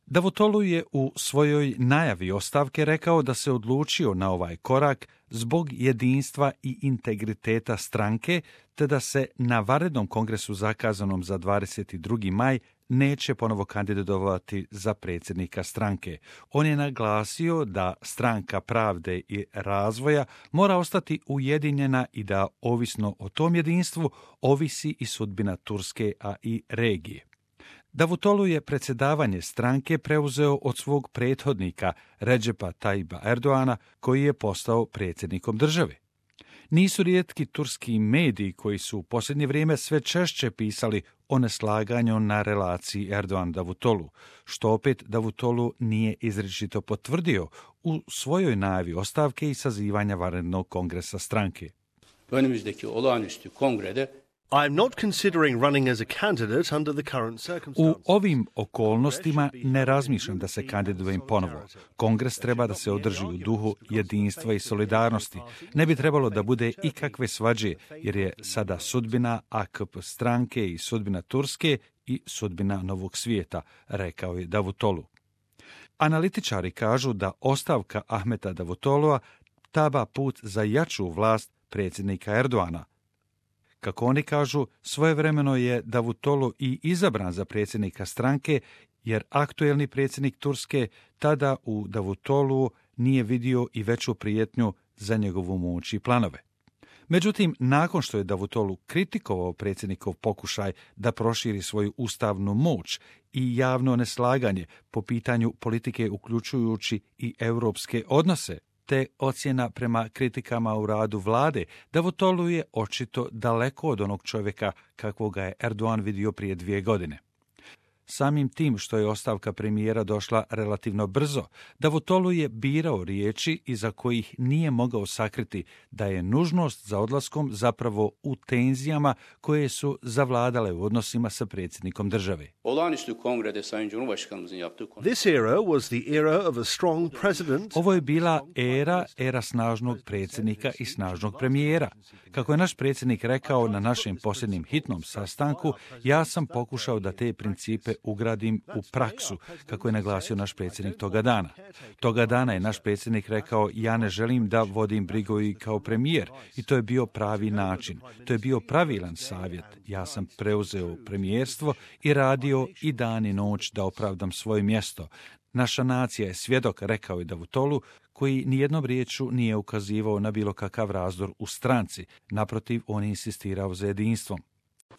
Davutoglu je u svojoj najavi ostavke rekao da se odlučio na ovaj korak zbog jedinstva i integriteta stranke, te da se na vanrednom kongresu zakazanom za 22. maj neće ponovo kandidovati za predsjednika stranke. On je naglasio da Stranka pravde i razvoja mora ostati ujedinjena i da, ovisno o tom jedinstvu, ovisi i sudbina Turske, a i regije. Davutoglu je predsjedavanje stranke preuzeo od svog prethodnika Redžepa Tayyipa Erdoana, koji je postao predsjednikom države. Nisu rijetki turski mediji koji su u posljednje vrijeme sve češće pisali o neslaganju na relaciji Erdogan-Davutoglu, što opet Davutoglu nije izričito potvrdio u svojoj najavi ostavke i sazivanja vanrednog kongresa stranke. Önümüzdeki olağanüstü kongrede I am not considering running as a candidate under the current U circumstances. ovim okolnostima ne razmišljam da se kandidujem ponovo. Kongres treba da se održi u duhu jedinstva i solidarnosti. Ne bi trebalo da bude ikakve svađe, jer je sada sudbina AKP stranke i sudbina Turske i sudbina novog svijeta, rekao je Davutoglu. Analitičari kažu da ostavka Ahmeta Davutoglua taba put za jaču vlast predsjednika Erdoana. Kako oni kažu, svojevremeno je Davutoglu i izabran za predsjednika stranke, jer aktuelni predsjednik Turske tada u Davutoglu nije vidio i veću prijetnju za njegovu moć i planove. Međutim, nakon što je Davutoglu kritikovao predsjednikov pokušaj da proširi svoju ustavnu moć i javno neslaganje po pitanju politike uključujući i europske odnose, te ocjena prema kritikama u radu vlade, Davutoglu je očito daleko od onog čovjeka kakvoga je Erdogan vidio prije 2 godine. Samim tim što je ostavka premijera došla relativno brzo, Davutoglu je birao riječi iza kojih nije mogao sakriti da je nužnost za odlaskom zapravo u tenzijama koje su zavladale u odnosima sa predsjednikom države. olağanüstü kongrede Sayın Cumhurbaşkanımızın yaptığı konuşma. This era was the era of a strong president. Ovo je bila era snažnog predsjednika i snažnog premijera. Kako je naš predsjednik rekao na našem posljednjem hitnom sastanku, ja sam pokušao da te principe ugradim u praksu, kako je naglasio naš predsjednik toga dana. Toga dana je naš predsjednik rekao, ja ne želim da vodim brigu i kao premijer, i to je bio pravi način. To je bio pravilan savjet. Ja sam preuzeo premijerstvo i radio i dan i noć da opravdam svoje mjesto. Naša nacija je svjedok, rekao je Davutoglu, koji nijednom riječu nije ukazivao na bilo kakav razdor u stranci. Naprotiv, on je insistirao za jedinstvom.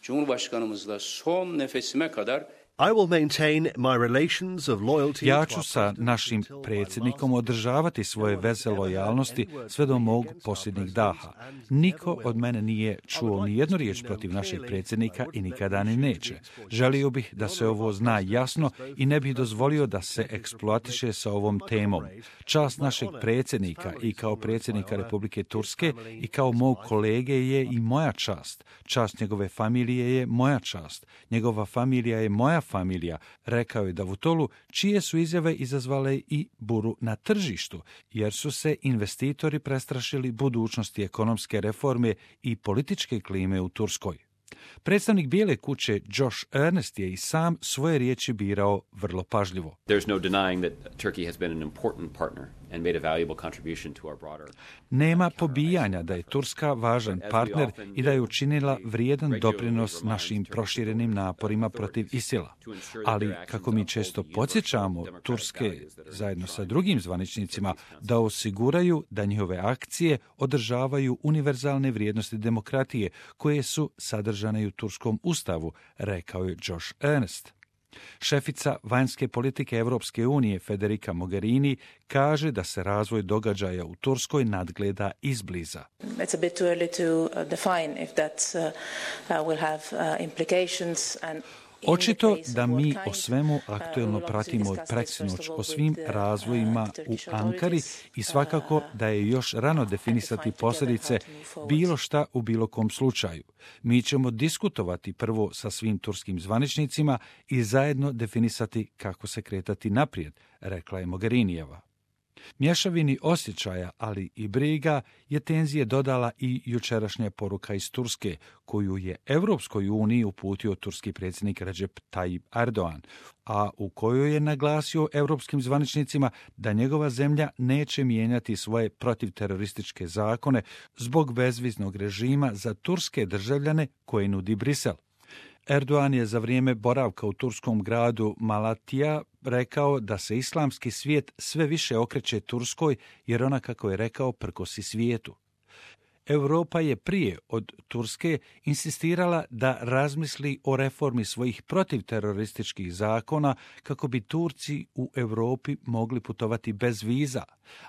Cumhurbaşkanımızla son nefesime kadar I will maintain my relations of loyalty. Ja to ću our sa president našim until my predsjednikom last održavati svoje veze lojalnosti sve do mog posljednjeg daha. Niko od mene nije čuo ni jednu riječ protiv našeg predsjednika i nikada ni neće. Želio bih da se ovo zna jasno i ne bih dozvolio da se eksploatiše sa ovom temom. Čast našeg predsjednika i kao predsjednika Republike Turske i kao mog kolege je i moja čast. Čast njegove familije je moja čast. Njegova familija je moja familija, rekao je Davutoglu, čije su izjave izazvale i buru na tržištu, jer su se investitori prestrašili budućnosti ekonomske reforme i političke klime u Turskoj. Predstavnik Bijele kuće Josh Earnest je i sam svoje riječi birao vrlo pažljivo. There's no denying that Turkey has been an important partner and made a valuable contribution to our broader. Nema pobijanja da je Turska važan partner i da je učinila vrijedan doprinos našim proširenim naporima protiv ISIL-a. Ali, kako mi često podsjećamo Turske zajedno sa drugim zvaničnicima da osiguraju da njihove akcije održavaju univerzalne vrijednosti demokratije koje su sadržane i u Turskom ustavu, rekao je Josh Earnest. Šefica vanjske politike Europske unije Federica Mogherini kaže da se razvoj događaja u Turskoj nadgleda izbliza. It's a bit too early to define if that will have implications and Očito da mi o svemu aktuelno pratimo od preksinoć o svim razvojima u Ankari i svakako da je još rano definisati posljedice bilo šta u bilo kom slučaju. Mi ćemo diskutovati prvo sa svim turskim zvaničnicima i zajedno definisati kako se kretati naprijed, rekla je Mogherinijeva. Mješavini osjećaja, ali i briga, je tenzije dodala i jučerašnja poruka iz Turske, koju je Europskoj uniji uputio turski predsjednik Recep Tayyip Erdogan, a u kojoj je naglasio europskim zvaničnicima da njegova zemlja neće mijenjati svoje protivterorističke zakone zbog bezviznog režima za turske državljane koje nudi Brisel. Erdogan je za vrijeme boravka u turskom gradu Malatija rekao da se islamski svijet sve više okreće Turskoj jer ona, kako je rekao, prkosi svijetu. Europa je prije od Turske insistirala da razmisli o reformi svojih protivterorističkih zakona kako bi Turci u Europi mogli putovati bez viza,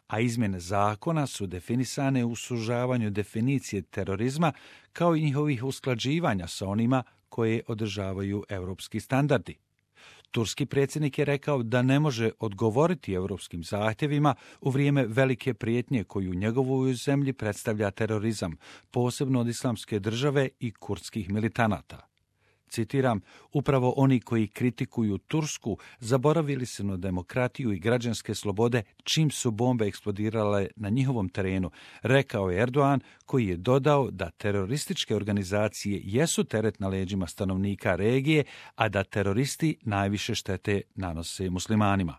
a izmjene zakona su definisane u sužavanju definicije terorizma kao i njihovih usklađivanja sa onima koje održavaju europski standardi. Turski predsjednik je rekao da ne može odgovoriti europskim zahtjevima u vrijeme velike prijetnje koju njegovoj zemlji predstavlja terorizam, posebno od Islamske države i kurdskih militanata. Citiram, upravo oni koji kritikuju Tursku zaboravili su na demokratiju i građanske slobode čim su bombe eksplodirale na njihovom terenu, rekao je Erdogan, koji je dodao da terorističke organizacije jesu teret na leđima stanovnika regije, a da teroristi najviše štete nanose muslimanima.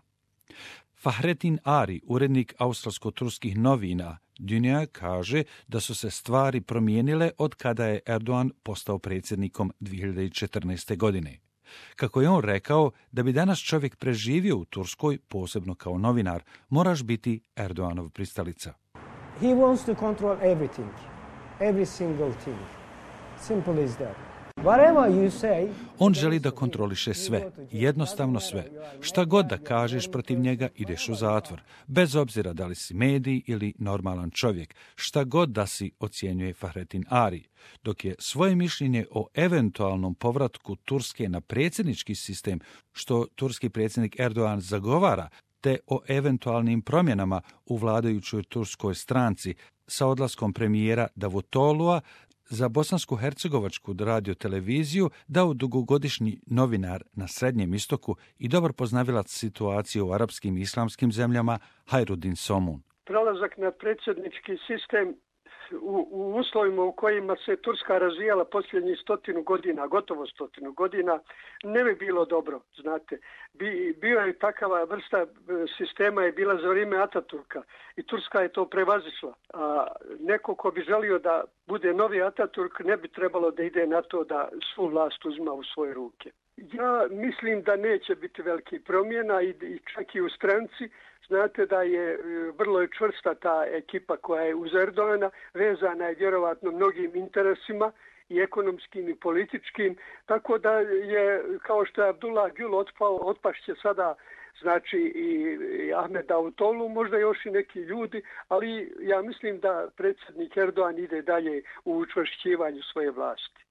Fahrettin Ari, urednik australsko-turskih novina Dünya, kaže da su se stvari promijenile od kada je Erdogan postao predsjednikom 2014. godine. Kako je on rekao, da bi danas čovjek preživio u Turskoj, posebno kao novinar, moraš biti Erdoganov pristalica. He wants to control everything, every single thing. Simple as that. On želi da kontroliše sve, jednostavno sve. Šta god da kažeš protiv njega, ideš u zatvor, bez obzira da li si medij ili normalan čovjek, šta god da si, ocjenjuje Fahrettin Ari, dok je svoje mišljenje o eventualnom povratku Turske na predsjednički sistem, što turski predsjednik Erdogan zagovara, te o eventualnim promjenama u vladajućoj turskoj stranci sa odlaskom premijera Davutolua, za bosansko-hercegovačku radioteleviziju dao dugogodišnji novinar na Srednjem istoku i dobar poznavilac situacije u arapskim i islamskim zemljama Hajrudin Somun. Prelazak na predsjednički sistem u uslovima u kojima se Turska razvijala posljednjih 100 godina, gotovo 100 godina, ne bi bilo dobro, znate. Bio je takava vrsta sistema je bila za vrijeme Ataturka i Turska je to prevazišla. A neko ko bi želio da bude novi Ataturk ne bi trebalo da ide na to da svu vlast uzma u svoje ruke. Ja mislim da neće biti velikih promjena i čak i u stranci. Znate da je vrlo čvrsta ta ekipa koja je uz Erdogana, vezana je vjerovatno mnogim interesima i ekonomskim i političkim, tako da je, kao što je Abdullah Gül otpao, otpašće sada znači i Ahmed Davutoglu, možda još i neki ljudi, ali ja mislim da predsjednik Erdogan ide dalje u učvršćivanju svoje vlasti.